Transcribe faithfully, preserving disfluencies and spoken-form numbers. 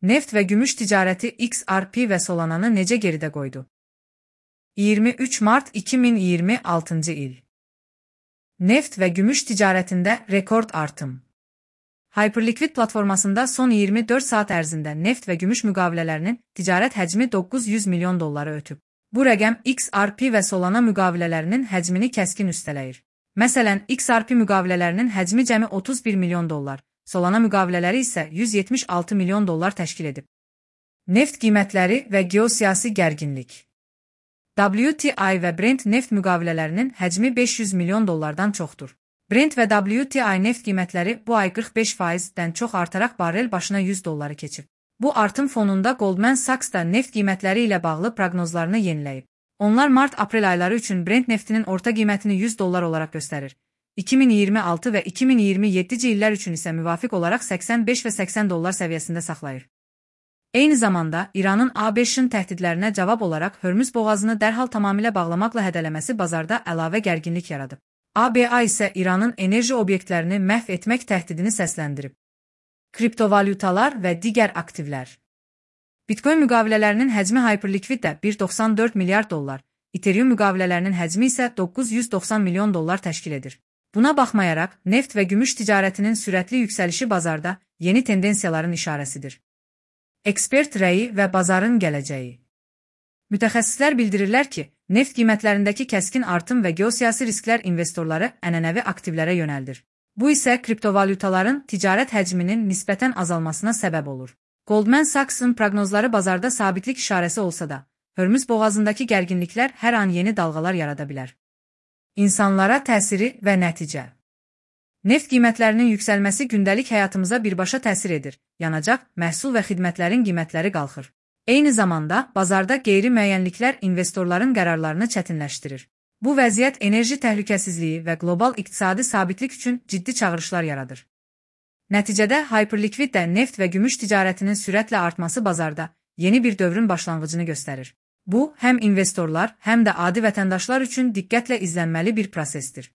Neft ve gümüş ticareti X R P ve Solana'nı necə geridə qoydu? iyirmi üç Mart iki min iyirmi altıncı il. Neft ve gümüş ticaretinde rekord artım. Hyperliquid platformasında son iyirmi dörd saat ərzində neft və gümüş müqavilələrinin ticarət həcmi doqquz yüz milyon dolları ötüb. Bu rəqəm X R P və Solana müqavilələrinin həcmini kəskin üstələyir. Məsələn, X R P müqavilələrinin həcmi cəmi otuz bir milyon dollar, Solana müqavilələri isə yüz yetmiş altı milyon dollar təşkil edib. Neft qiymətləri və geosiyasi gərginlik. W T I və Brent neft müqavilələrinin həcmi beş yüz milyon dollardan çoxdur. Brent və W T I neft qiymətləri bu ay qırx beş faizdən çox artaraq barrel başına yüz dolları keçib. Bu artım fonunda Goldman Sachs da neft qiymətləri ilə bağlı proqnozlarını yeniləyib. Onlar mart-aprel ayları üçün Brent neftinin orta qiymətini yüz dollar olaraq göstərir. iki min iyirmi altı və iki min iyirmi yeddinci illər üçün isə müvafiq olaraq səksən beş və səksən dollar səviyyəsində saxlayır. Eyni zamanda, İranın ABŞ-ın təhdidlərinə cavab olaraq Hörmüz boğazını dərhal tamamilə bağlamaqla hədələməsi bazarda əlavə gərginlik yaradıb. A B A isə İranın enerji obyektlərini məhv etmək təhdidini səsləndirib. Kriptovalyutalar və digər aktivlər. Bitcoin müqavilələrinin həcmi Hyperliquiddə bir nöqtə doxsan dörd milyard dollar, Ethereum müqavilələrinin həcmi isə doqquz yüz doxsan milyon dollar təşkil edir. Buna baxmayaraq, neft və gümüş ticarətinin sürətli yüksəlişi bazarda yeni tendensiyaların işarəsidir. Ekspert rəyi və bazarın gələcəyi. Mütəxəssislər bildirirlər ki, neft qiymətlərindəki kəskin artım və geosiyasi risklər investorları ənənəvi aktivlərə yönəldir. Bu isə kriptovalyutaların ticarət həcminin nisbətən azalmasına səbəb olur. Goldman Sachs'ın proqnozları bazarda sabitlik işarəsi olsa da, Hörmüz boğazındakı gərginliklər hər an yeni dalğalar yarada bilər. İnsanlara təsiri və nəticə. Neft qiymətlərinin yüksəlməsi gündəlik həyatımıza birbaşa təsir edir. Yanacaq, məhsul və xidmətlərin qiymətləri qalxır. Eyni zamanda, bazarda qeyri-müəyyənliklər investorların qərarlarını çətinləşdirir. Bu vəziyyət enerji təhlükəsizliyi və qlobal iqtisadi sabitlik üçün ciddi çağırışlar yaradır. Nəticədə, Hyperliquiddə neft və gümüş ticarətinin sürətlə artması bazarda yeni bir dövrün başlanğıcını göstərir. Bu, həm investorlar, həm də adi vətəndaşlar üçün diqqətlə izlənməli bir prosesdir.